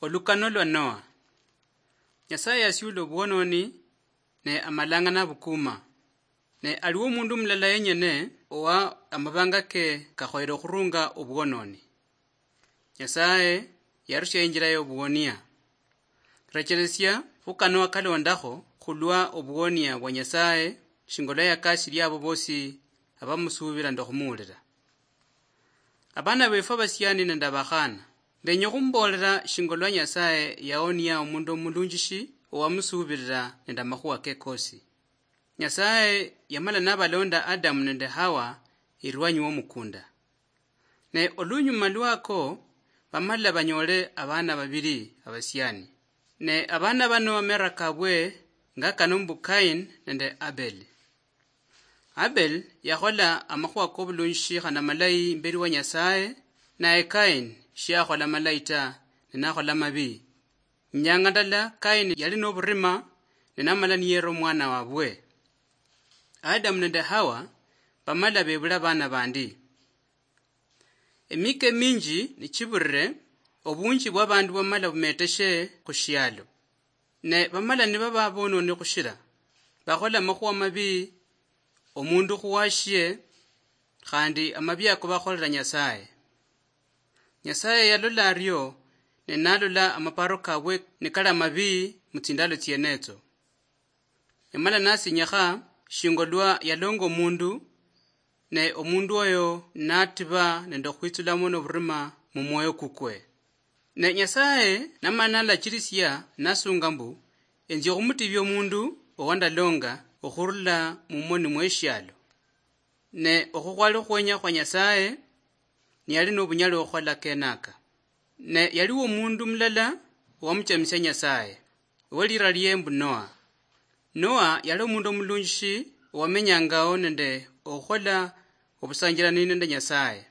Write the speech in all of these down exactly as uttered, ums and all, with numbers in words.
Olukano lwa Noa. Nyasaye yasiula obwononi, ne amalanga nabukuma. Ne aliwo omundu mulala yenyene owa amabanga ke kakhoyere okhurunga obwononi. Nyasaye yarusia injira yobuwonia. Rechelesia khu Kanoa kalondakho khulwa obuwonia bwa Nyasaye, shinga olwa yakasilia abo bosi abamusuubila nende okhumuwulila. Abana befwe abasiani nende abakhana, ndenya okhumbolera shinga olwa Nyasaye yaonia omundu omulunjishi owamusuubilila nende amakhuwa ke kosi. Nyasaye yamala nabalonda Adamu nende Hawa erwanyi womukunda. Ne olunyuma lwako, bamala banyole abana babili abasiani. Ne abana bano amera kabwe nga kano mbu Kain nende Abel. Abel yakhola amakhuwa kobulunjishi khana malayi imbeli wa Nyasaye, naye Kain shiakhola malayi ta, ne nakhola mabi. Inyanga ndala Kain yali noburima, ne namala niyera omwana wabwe. Adamu nende Hawa bamala bebula abana bandi. Emika eminji nichibulire, obunji bwabandu bwamala bumeteshe khushialo. Ne bamala nibaba bononi khushira, bakhola amakhuwa mabi, omundu khuwashie, khandi amabi ako bakholera Nyasaye. Nyasaye yalola ario, ne nalola amaparo kabwe nikali amabi mutsindalo tsienetso. Yamala nasinyakha shinga olwa yalonga omundu, ne omundu oyo natiba nende okhwitsulamo noburima mumwoyo kukwe. Ne Nyasaye namala nalachirisia nasunga mbu, enzi okhumutibia omundu owandalonga okhurula mumoni mweshialo. Ne okho khwali okhwenya khwa Nyasaye, niyali nobunyali okhukhola kenaka. Ne yaliwo omundu mulala owamuchamisia Nyasaye, owelira lie mbu Noa. Noa yali omundu omulunjishi owamenyangawo nende okhukhola obusanjirani nende Nyasaye.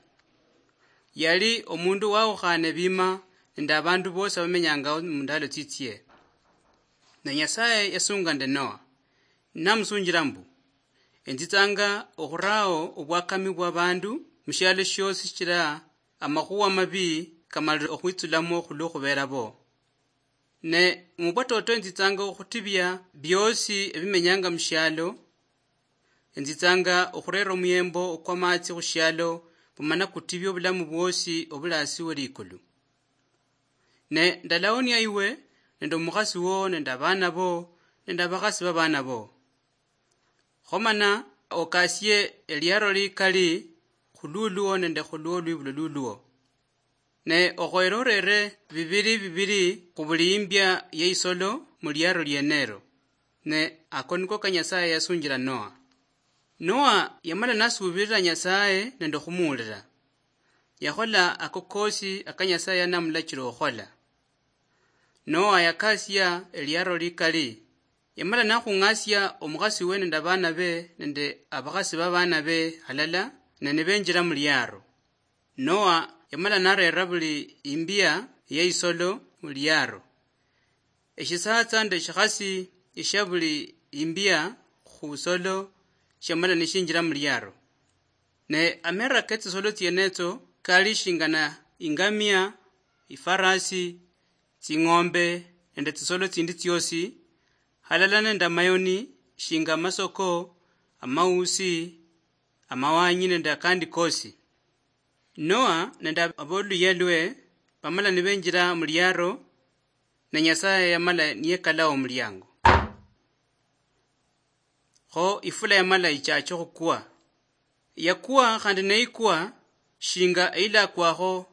Yali omundu wawukhane bima nende abandu bosi abamenyangawo mundalo tsitsie. Ne Nyasaye yasunga nende Noa, namusunjira mbu, enzitsanga okhurao obwakami bwabandu mushialo shiosi shichira amakhuwa mabi kamalire okhwitsulamo khulwokhubera bo. Ne mubwatoto enzitsanga okhutibia biosi ebimenyanga mushialo, enzitsanga okhurera omuyembo okwamatsi khushialo, bumana kutibia obulamu bwosi obuli asi welikulu. Ne ndalaonia iwe nende omukhasi wo nende abana bo nende abakhasi babana bo. Khomana okasie eliaro likali khululuo nende khulwo lwibulo luluo. Ne okhoyere orere bibiri bibiri khubuli imbia yeisolo muliaro lienero. Ne ako niko ka Nyasaye yasunjira Noa. Noa yamala nasuubirira Nyasaye nende okhumuwulira. Yakhola ako kosi aka Nyasaye yanamulachira okhukhola. Noa yakasia eliaro likali. Yamala nakhung'asia omukhasi we nende abana be nende abakhasi babana be halala, ne nibenjira muliaro. Noa yamala narera buli imbia yeisolo muliaro. Eshisatsa nde eshikhasi eshia buli imbia khusolo shiamala nishinjira muliaro. Ne amera ketsisolo tsienetso kali shingana ingamia, ifarasi, tsing'ombe nende tsisolo tsindi tsiosi, halala nende amayoni shinga amasoko, amausi, amawanyi nende akandi kosi. Noa nende aboluyia lwe bamala nibenjira muliaro, ne Nyasaye yamala niyekalawo omuliango. Kho ifula yamala ichache okhukwa. Yakwa khandi neikwa shinga eilakwakho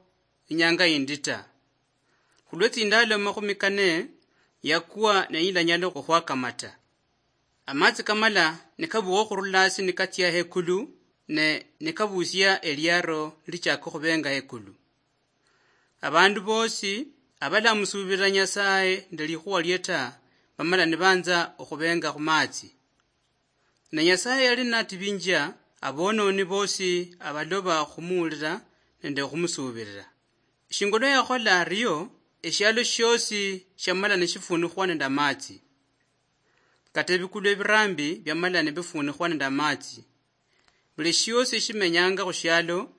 inyanga yindi ta. Khulwe tsindalo makhumi kane yakwa neyilanyala okhwakamata. Amatsi kamala nikabukha okhurula hasi nikatsia hekulu, ne nikabusia eliaro nilichaka okhubenga hekulu. Abandu bosi abalamusuubirira Nyasaye nende likhuwa lie ta, bamala nibanza okhubenga khumatsi. Ne Nyasaye yali natibinjia abononi bosi abaloba okhumuwulira nende okhumusuubirira. Shinga olwa yakhola ario, eshialo shiosi shiamala nishifuunikhwa nende amatsi. Kata ebikulu ebirambi biamala nibifuunikhwa nende amatsi. Buli shiosi eshimenyanga khushialo,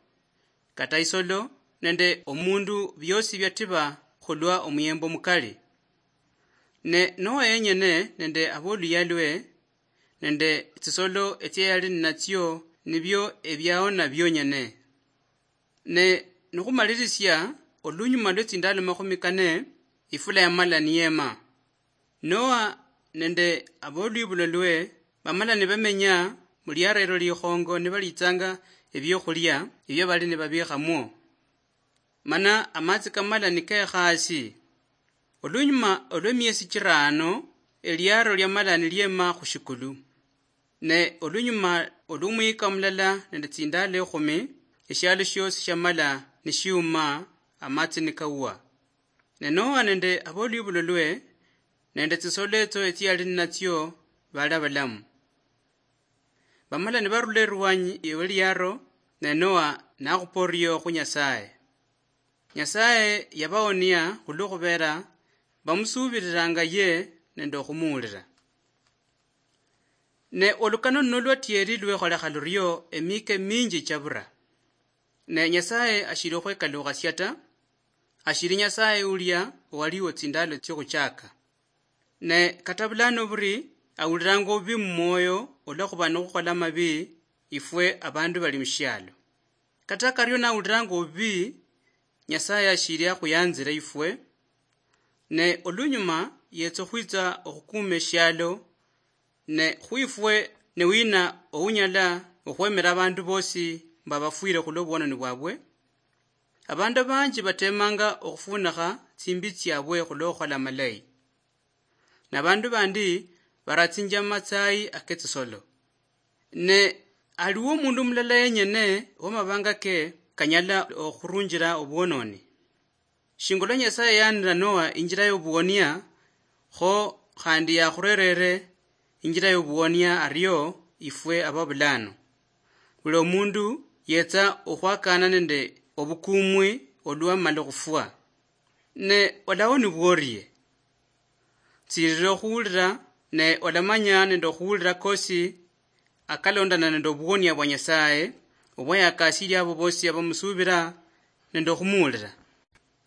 kata isolo nende omundu, biosi biatiba khulwa omuyembo mukali. Ne Noa yenyene nende aboluyia lwe nende tsisolo etsia yali ninatsio nibio ebiaona bionyene. Ne nikhumalirisia, olunyuma lwe tsindalo makhumi kane, ifula yamala niyema. Noa nende abolwibulo lwe bamala nibamenya muliara elo likhongo nibalitsanga ebiokhulia ebio bali nibabikhamwo. Mana amatsi kamala nikekha asi. Olunyuma olwemiesi chirano, eliaro liamala niliema khushikulu. Ne olunyuma olwomuyika mulala nende tsindalo ekhumi, eshialo shiosi shiamala nishiuma, amatsi nikawa. Ne Noa nende abolwibulo lwe nende tsisolo etso etsiali ninatsio bali abalamu. Bamala nibarula erwanyi weliaro, ne Noa nakhupa orio khu Nyasaye. Nyasaye yabaonia khulwo khubera bamusuubiriranga ye nende okhumuulira. Ne olukano luno lwatieri lwekholekha lurio emika eminji chabura. Ne Nyasaye ashili okhwekaluukhasia ta, ashili Nyasaye ulia owaliwo tsindalo tsiokhuchaka. Ne kata bulano buri awuliranga obubi mumwoyo olwakhuba nokhukhola amabi ifwe abandu bali mushialo. Kata kario nawuliranga obubi, Nyasaye ashili akhuyanzira ifwe, ne olunyuma yetsa okhwitsa okhukuma eshialo, ne khwifwe ne wina ounyala okhwemera abandu bosi mbu abafwire khulwa obwononi bwabwe? Abandu abanji batemanga okhufunikha tsimbi tsiabwe khulwa okhukhola amalayi. Nabandu bandi baratsinjia mumatsayi aketsisolo. Ne aliwo omundu mulala yenyene wamabanga ke kanyala okhurunjira obwononi. Shinga olwa Nyasaye yanira Noa injira yobuwonia, kho khandi yakhurerere injira yobuwonia ario ifwe ababulano. Buli omundu yetsa okhwakana nende obukumwi olwamala okhufwa. Ne olawonibwa orie? Tsirira okhuwulira, ne olamanya nende okhuwulira kosi akalondana nende obuwonia bwa Nyasaye, obwa yakasiria abo bosi abamusuubira nende okhumuwulira.